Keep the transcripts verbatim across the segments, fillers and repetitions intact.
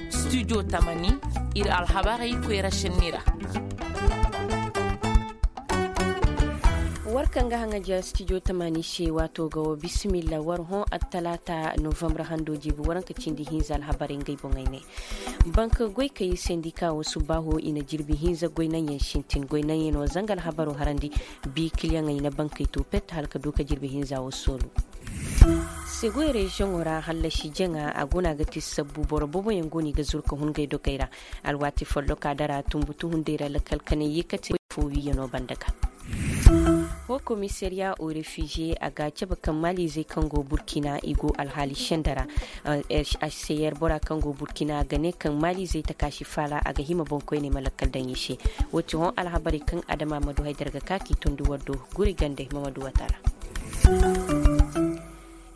Studio tamani, ir alhabarey koyra šenni ra. War kaŋ ga haŋaja studio tamani se waato ga wo bisimilla war hõ attalaata novambre hando jiibi waranka cindi hinza alhabarey ngey boŋey ne. Banka goykey sendika wo subbaaho i na jirbi hinza goynaŋyaŋ sintin goynaŋyaŋ no zanga alhabaro harandi. Bi kiliyaŋey na bankey to pet hala ka du ka jirbi hinza wo soolu. Segoy reziyoŋo ra hallasi jaŋa a go no a ga ti sabbu boro booboyaŋ go no i ga zuru ka hun ngey dogey ra. Alwaati folloka dara tumbutu hunday ra lakkal kanay ye kate fo wiiyano banda ga. Ho komisariya o refiziye a ga a cabe kaŋ maalizey kaŋ go burkina i go alhaali senda ra. H c r bora kaŋ go burkina a ga ne kaŋ maalizey takaasi faala a ga hima boŋkoyney ma lakkal daŋ i se. Wo ti hõ alhabarey kaŋ adama ma du haydar ga ka k'i tondi war do. Guri gande mamadu wata ra.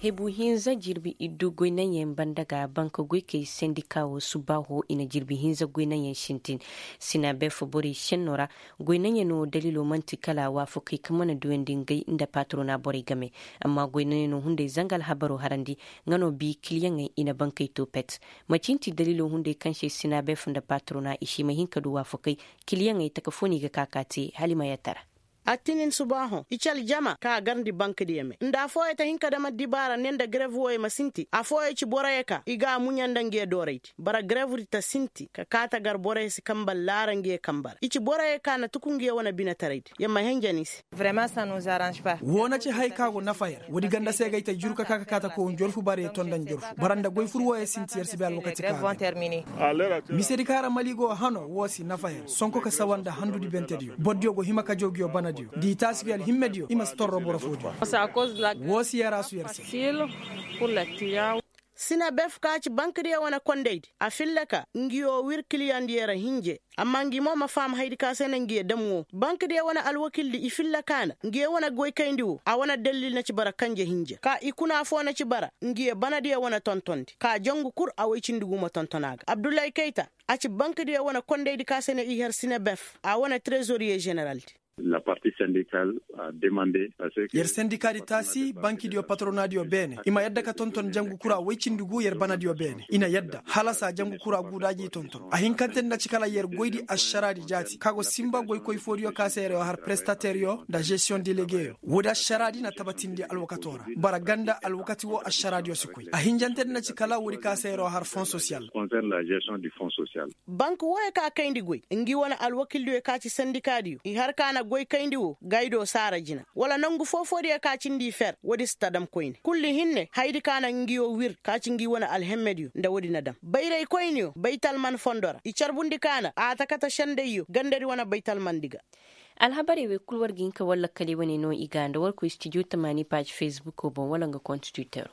Hebu hinza jirbi iddu goynaŋyaŋ banda ga banka goykey sendika wo subbaaho i na jirbi hinza goynaŋyaŋ sintin. Sinabeef borey senno ra goynaŋyaŋo daliilo man'ti kala waafakey kaŋ mana duyandi ngey nda patrona borey game. Amma goynaŋyaŋo hunday zanga alhabaro harandi nga no bi kiliyaŋey i na bankey to pet. Macinti daliilo hunday kaŋ se sinabeef nda patrona i si ma hin ka du waafakey. Kiliyaŋey taka fo no i ga ka ka te hala i ma yattara. Attinin subaahoŋ i ci aljama kaŋ a garndi bankadiyo me nda afooyaŋ ta hin ka dam addibaara ne nda garev wooyaŋ ma sinti afooyaŋ ci boroyaŋ ka i ga a muɲa nda ngiyo dooraydi bara garevdi ta sinti ka kaa ta gar boroyaŋ si kambal laara ngiyo kambe ra i ci boroyaŋ ka na tuku ngiyo wane binetaraydi yer ma henjen i se. Woo na ci haya ka go nafa yer woodi ganda se ga ay ta juru ka kaa ka kaa ta kow njorfu bara yer tonda njorfu bara nda goy fur wooyaŋ sinti yer si bay alwakati ka. Misedi kaŋ ra mali go hano woo si nafa yer sonko ka sawa nda handudi bentediyo bordiyo go hima ka jaw ngiyo banadiyo nda i taasi ngiyo alhimmediyo i ma si torro boro foodiyo. Woo si yer a su yer se. Sinabef ka ci bankadiyo wane kondaydi a filla ka ngiyo wir kiliyandiyo ra hinje. Amma ngi mo ma faham hayadi ka se na ngiyo dam woo bankadiyo wane alwakildi i filla ka na ngiyo wane goykayndi woo a wane dallil na ci bara kanje hinja ka i kuna foo na ci bara ngiyo banadiyo wane tontondi ka jangu kur a woy cindi gu ma tonton a ga abdullahi kayta. A ci bankadiyo wane kondaydi ka se na i har sinabef a wane trezoriye ženeraldi. Yer sendikaadi taasi bankidiyo patronaadiyo beene i ma yadda ka tonton jangu kura woy cindi gu yer banadiyo beene i na yadda hala saa jangu kura guudaaji i tonton a hinkante ni na ci kala yer goydi ašaraadi jaati ka go sinba goykoy foodiyo ka se yer yoo har prestateeryo nda žestiyoŋ delegeyo woodi ašaraadi na tabatindi alwakatoo ra. Bara ganda alwakati woo ašaraadiyo si koy a hinjante ni na ci kala woodi ka se yer yoo har fon sosiyal. Bank wooyo ka kayndi goy ngi wane alwakildiyo ka ci sendikaadiyo i har ka na goy kayndi woo gaydo saara jina wala nangu foo-foodiyo ka cindi i fer woodi si ta dam koyne kulli hinne hayadi ka na ngiyo wir ka ci ngi wane alhemmediyo nda woodi na dam bayraykoyniyo baytalman fondo ra i carbundi ka na a ta kate sendayyo gandadi wane baytalmandi ga. Alhabarey wey kul war ga hin ka war lakkaley wane no i ga nda war koy stijo tamaani paazi fesbuko boŋ wala nga konstituteero.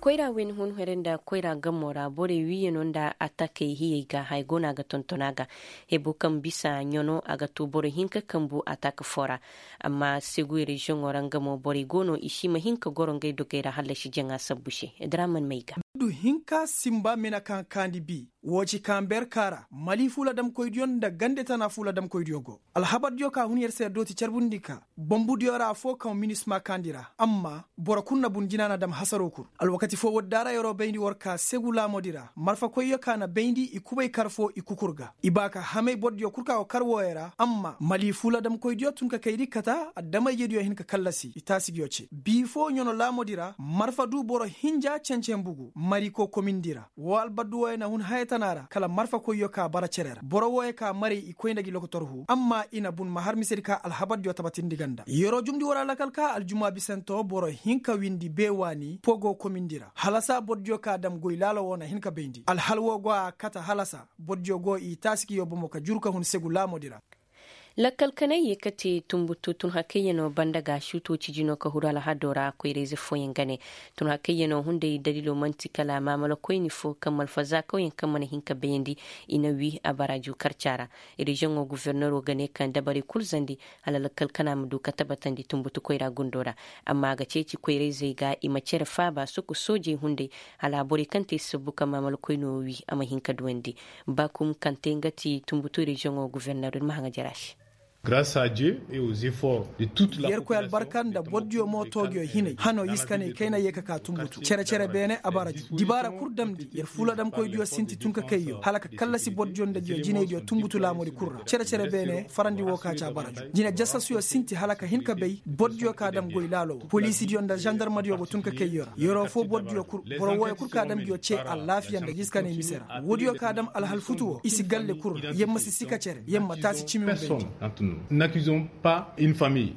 Koyra wayna hun here nda koyra gamo ra borey wiiyano nda atakey hiyey ga haya go no a ga tonton a ga. Hebo kaŋ bisa ɲano a ga to boro hinka kambu atak foo ra. Amma seguy reziyoŋo ra nga mo borey go no i si ma hin ka goro ngey dogey ra hallasi jaŋa sabbu se. Draman may ga. Du hinka sinba mina kaŋ kaandi bi woo ci kaŋ berka ra mali fuula damkoydiyo nda gande tana fuula damkoydiyo go. Alhabardiyo ka hun yer se yer dooti carbundi ka bombudiyo ra afoo kaŋ minisma kaandi ra amma boro kul na bun jina na dam hasaroo kul. Alwakati foo woodi daara yeroo bayndi war ka segu laamoodi ra marfakoyyo ka na bayndi i kubay kar foo i kukur ga i ba ka hamay bordiyo kul ka go kar wooyo ra amma mali fuula damkoydiyo tun ka kaydi kata adama-ijediyo hin ka kallasi i taasi ngiyo ce bii foo ɲano laamoodi ra marfa du boro hinja cence mbugu mariko komindi ra. Woo albaddu wooyo na hun haya tana ra kala marfakoyyo ka bara cere ra boro wooyo ka maray i koy nda gi lokotor hu amma i na bun ma har misedi ka alhabardiyo tabatindi ganda yeroo jumndi war alakal ka aljuma bisantoo boro hinka windi bee waani pogo komindi ra halasa bordiyo ka dam goy laala woo na hin ka bayndi alhal woo go a kate halasa bordiyo go i taasi ngiyo bomo ka juru ka hun segu laamoodi ra. Lakkal kanay ye kate tumbutu tun hakayyanoo banda ga suutoo cijinoo ka huru alhadoo ra koyrayze fooyaŋ ga ne. Tun hakayyanoo hunday daliiloo man'ti kala maamalakoyni foo kaŋ malfazaakawyaŋ kaŋ mana hin ka bayandi i na wii a bara juu karca ra. Reziyoŋoo goforneroo ga ne kaŋ dabarey kul zandi hala lakkal kana ma du ka tabatandi tumbutu koyra gundoo ra. Amma a ga ceeci koyrayzey ga i ma cere faaba soko soojey hunday hala borey kaŋ te sabbu ka maamalakoynoo wii a ma hin ka duwandi. Bakum kaŋ te nga ti tumbutu reziyoŋoo goforneroo ir ma haŋa jara se. Yerkoy albarka nda bordiyo mo toogiyo hinay hano iskanay kayna ye ka ka tumbutu cere-cere beene a bara ju dibaara kul damndi yer fuladamkoydiyo sinti tun ka kayyo hala ka kallasi bordiyo nda diyo jinaydiyo tumbutu laamudi kul ra cere-cere beene farandi woo ka ci a bara ju jine jasasuyo sinti hala ka hin ka bay bordiyo ka dam goy laalo woo poliisidiyo nda zandarmadiyo go tun ka kayyo ra yeroo foo bordiyo kul boro wooyo kul ka dam diyo cee alaafiya nda iskanay mise ra woodiyo ka dam alhal futu woo i si galle kul ra yer ma si sika cere yer ma taasi cimi ma bay. N'accusons pas une famille.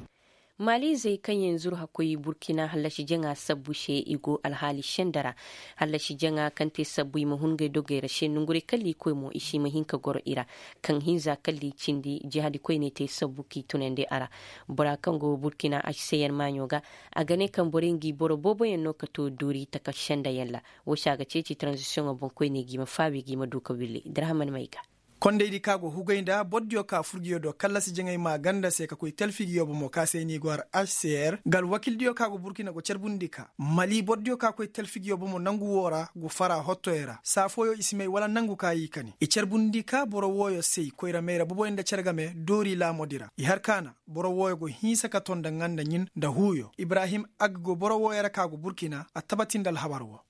Maaliizey kaŋ yaŋ zuru hakkoy burkina hallasi jaŋa sabbu se i go alhaali senda ra. Hallasi jaŋa kaŋ te sabbu i ma hun ngey dogey ra se nonguray kalla i koy mo i si ma hin ka goro i ra. Kaŋ hinza kalla i cindi jihadi koyney te sabbu k'i tunandi a ra. Bora kaŋ go burkina hcr maaɲo ga a ga ne kaŋ borey ngi boro booboyaŋ no ka to doori taka sendayaŋ ra. Woo se a ga ceeci taranzisiyoŋo boŋkoyney g'i ma faabi g'i ma du ka willi darhaman may ga. Kondaydi ka go hugay nda bordiyo ka furgiyo do kallasi jaŋay maaganda se ka koy talfigiyo bomo ka se ni go har hcr nga alwakildiyo ka go burkina go carbundi ka mali bordiyo ka koy talfigiyo bomo nangu woo ra go fara hottoyo ra saa fooyo i si may wala nangu ka i kani i carbundi ka boro wooyo se koyra mayra boboyo nda care game doori laamodi ra i har kaana boro wooyo go hinsa ka ton nda nga nda ɲin nda huuyo ibrahim aggo boro wooyo ra ka go burkina a tabati nda alhabar woo.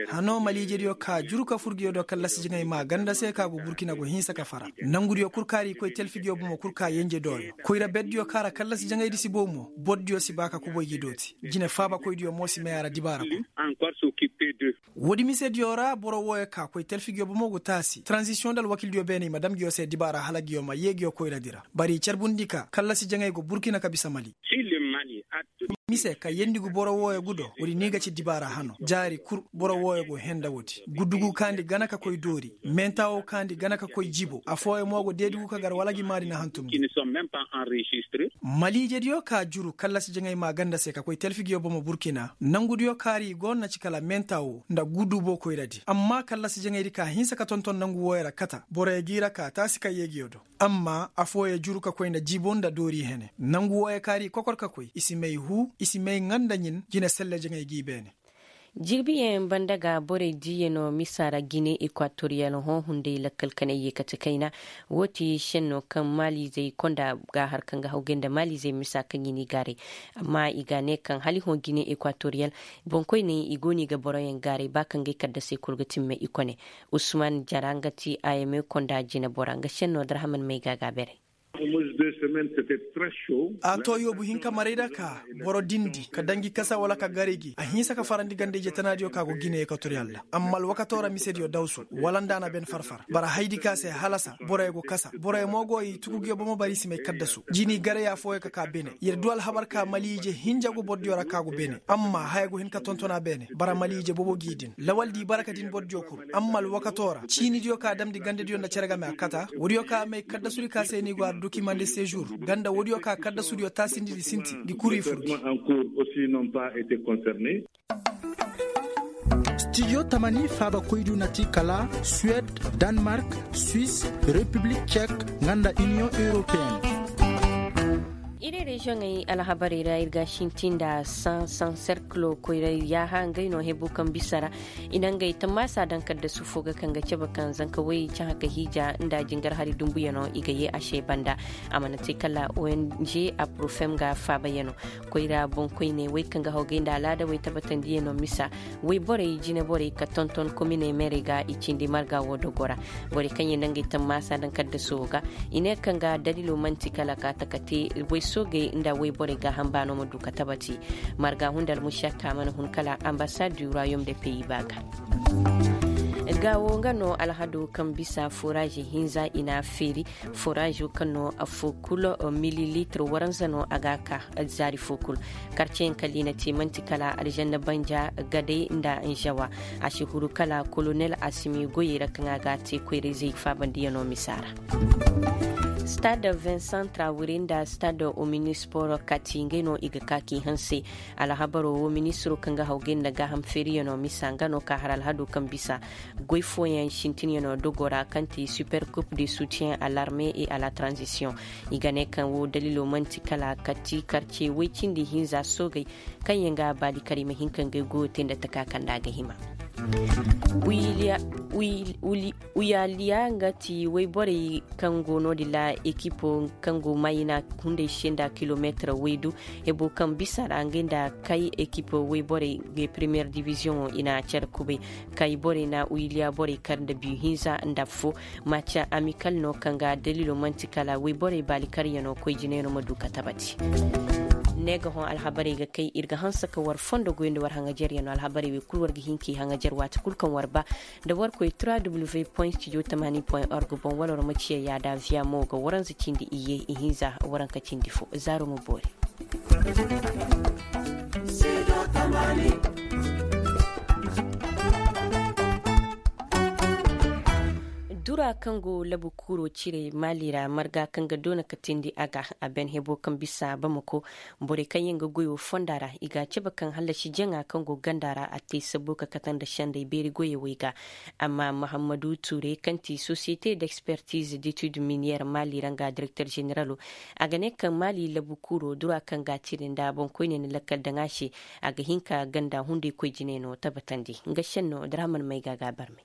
Hano maliijediyo ka juru ka fur ngiyo do kallasi jaŋay maa ganda se ka go burkina go hinsa ka fara nangudiyo kul kaari koy telfigiyo bomo kul ka yenje dooyo koyra berdiyo ka ra kallasi jaŋaydi si bow mo bordiyo si ba ka kuboy gi dooti jine faabakoydiyo mo si may a ra dibaara kul. Woodi misediyo ra boro wooyo ka koy telfigiyo bomo go taasi taranzisiyoŋ nda alwakildiyo beene i ma dam ngiyo se dibaara hala ngiyo ma yee ngiyo koyradi ra bari carbundi ka kallasi jaŋay go burkina ka bisa mali. Mise ka yendi gu boro wooyo gu do woodi ni ga ci dibaara hano jaari kul boro wooyo go henda woodi gudugu kaandi gana ka koy doori mentawo kaandi gana ka koy jibo affooyo mo go deedi gu ka gar wala gi maadi na hantum gi. Maliijediyo ka juru kallasi jaŋay maa ganda se ka koy telfigiyo bomo burkina nangudiyo kaari go na ci kala mentawo nda gudubo koyradi amma kallasi jaŋaydi ka hinsa ka tonton nangu wooyo ra kata boroyo g'i ra ka taasi ka yee ngiyo do. Amma affooyo juru ka koy nda jibo nda doori hene nangu wooyo kaari kokor ka koy i si may huu i si may ŋa nda ɲin jine selle jaŋay g'i beene. Jirbiyaŋ banda ga borey diiyano misa ra gine ekwatoriyal hõ hunday lakkal kanay ye kate kayna. Woo ti šenno kaŋ maaliizey konda ga har kaŋ ga hawgay nda maaliizey misa kaŋ i n'i gaaray. Amma i ga ne kaŋ hala i hõ gine ekwatoriyal boŋkoyney i go no i ga boroyaŋ gaaray ba kaŋ ga ay kaddasey kul ga timme i kone. Usman jara nga ti a yame konda jinebora nga senno darhaman may ga a ga a beray. A to yoobu hinka maray ra ka boro dindi ka danji kasa wala ka gari gi a hinsa ka farandi ganda ije tanaadiyo ka go gine ekwatoriyal ra amma alwakato ra misediyo dawsu wala nda a na ben farfar bara haydi ka se halasa boroyo go kasa boroyo mo go i tukugiyo bomo bara i si may kaddasu jini garaya fooyo ka ka bene yer du alhabar ka maliije hinja go bordiyo ra ka go bene amma haya go hin ka tontona bene bara maliije bobo gi din lawal di baraka din bordiyo kul amma alwakato ra ciinidiyo ka damndi gandadiyo nda cere game a kata woodiyo ka may kaddasudi ka se ni go har dokimande sejour ganda woodiyo ka kaddasudiyo taasindi di sinti di kuri furdi. Stijo tamani faabakoydu na ti kala suwed, danmark, swis, repiblik cek, nga nda iniyoŋ europeen. Iri reziyoŋey alhabarey ra ir ga sinti nda san san serkilo koyray yaaha ngey no hebu kaŋ bisa ra i na ngey tammaasa daŋ kaddasu fo ga kaŋ ga cabe kaŋ zanka way cahã ka hiija nda jingar hari dumbuyano i ga ye a se banda. A mana te kala ong aprofem ga faabayano koyra boŋkoyney wey kaŋ ga hawgay nda alaada wey tabbatandiyano misa wey borey jine borey ka tonton kominey meerey ga i cindi marga wo dogo ra. Borey kaŋ ye nda ngey tammaasa daŋ kaddasu wo ga i ne kaŋ ga dalilo man'ti kala ka taka te way soogey nda way borey gaaham baano ma du ka tabati. Marga hunda almušakka mana hun kala ambasad du royaume de pays ba ga. Gaawo nga no alhado kaŋ bisa forazi hinza i n'a feeri. Forazo kaŋ no affo kul mililitir waranza no a ga ka zaari fo kul. Karceyaŋ kala i na te man'ti kala alžanna banja, gadey nda nzawa. A si huru kala kolonel asimi goyey ra kaŋ a ga a te koyra-izey faabandiyano misa ra. Stade vincent trawire nda stade ominispor kati ngey no i ga ka k'i hanse. Alhabaro wo ministiro kaŋ ga hawgay nda gaaham feeriyano misa nga no ka har alhado kaŋ bisa goy fooyaŋ sintinyano dogo ra kaŋ ti super coupe de soutien à l'armée et à la transition. I ga ne kaŋ wo dalilo man'ti kala kati karce woy cindi hinza soogey kaŋ yaŋ ga a baadi kala i ma hin ka ngey goyo te nda taka kaŋ nda a ga hima. Uyaliya nga ti woyborey kaŋ go no- din ra ekipo kaŋ go mayina hunday se nda kilomeetir woydu. Hebo kaŋ bisa ra nga nda kay ekipo woyborey ga premiyer diviziyoŋo i na care kubay. Kay borey na uyaliya borey kar nda biyu hinza nda affo. Maca amikal no kaŋ ga dalilo man'ti kala woyborey baali karyano koy jinayno ma du ka tabati. Ne ga hõ alhabarey ga kay ir ga hanse ka war fondo goy nda war haŋajeryano alhabarey wey kulu war ga hin k'i haŋajer waati kulu kaŋ war ba. Nda war koy trois w point studio tamani point org boŋ wala war ma ciya yaada viya mo ga waranza cindi iyye ihinza waranka cindi fo zaaro ma boori. Dura kaŋ go labu kuuro cire maali ra marga kaŋ ga doona ka tindi a ga a ben hebo kaŋ bisa bamako. Borey kaŋ yaŋ ga goyo fonda ra i ga a cabe kaŋ hallasi jaŋa kaŋ go ganda ra a te sabbo ka kate nda sendey beeri goyey wey ga. Amma mahammadu ture kaŋ ti sosiyete d'expertise d'étude minière maali ra nga direkter generalo a ga ne kaŋ maali labu kuuro dura kaŋ ga a cire nda boŋkoyney na lakkal daŋ a se. A ga hin ka ganda hunday koy jinay no tabatandi nga senno draman may ga a ga a barmay.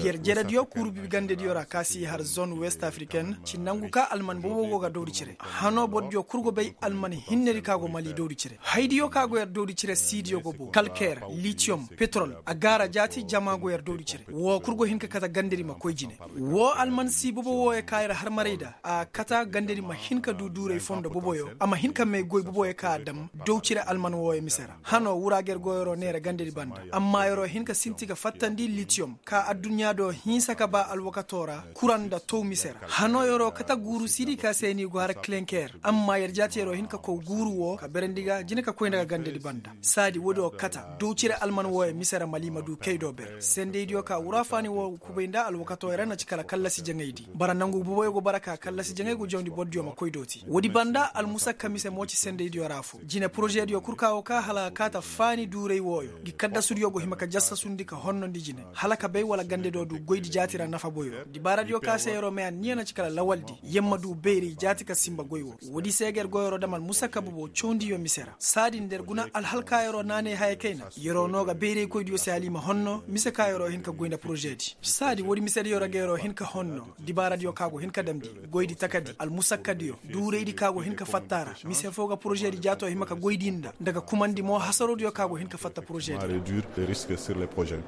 Yer jerediyo kuuru bi gandediyo ra ka si har zone west africaine ci nangu ka alman bobo go ga dawdi cire. Hano bordiyo kul go bay alman hinnedi ka go mali dawdi cire haydiyo ka go yer dawdi cire siidiyo go bo kalker, litiyom, petrol, a gaara jaati jama go yer dawdi cire. Wo kul go hin ka kate gandedi ma koy jine. Wo alman si bobo wooyo ka yer harmaray nda a kata gandedi ma hin ka du duuray fondo boboyo a ma hin ka may goy boboyo ka a dam daw cire alman wooyo mise ra. Hano wura ga yer go yeroo neera gandedi banda amma yeroo hin ka sinti ga fattandi litiyom ka adduɲɲa do hinsa ka ba alwakatoo ra kuraŋ nda tow mise ra. Hano yeroo kata guuru siidi ka se ni go har kilenker amma yer jaati yeroo hin ka kow guuru woo ka berandi ga jine ka koy nda ga gandedi banda. Saadi woodiyo kata daw cire alman wooyo mise ra mali ma du kay do ber sendaydiyo ka wura faani woo kubay nda alwakatoo ra na ci kala kallasi jaŋaydi bara nangu boboyo go bara ka kallasi jaŋay go jawndi bordiyo ma koy dooti woodi banda almusakka mise mo ci sendaydiyo ra fo jine porožediyo kul ka go ka hala a kaata faani duuray wooyo ngi kaddasudiyo go hima ka jassasundi ka honnondi jine hala ka bay wala gande do du goydi jaati ra nafa boyo dibaaradiyo ka se yeroo may anniya na ci kala lawaldi yer ma du beeri jaati ka sinba goy woo woodi se ga yer go yeroo dam almusakka bobo cawndiyo mise ra saadin da yer guna alhalka yeroo naanay haya kayna yeroo no ga beeraykoydiyo se hala i ma honno mise ka yeroo hin ka goy nda porožedi saadi woodi misediyo ra ga yeroo hin ka honno dibaaradiyo ka go hin ka damndi goydi takadi almusakkadiyo duuraydi ka go hin ka fatta ra mise foo ga porožedi jaatoo hima ka goydi nda nda ga kumandi mo hasarodiyo ka go hin ka fatta porožedi ra.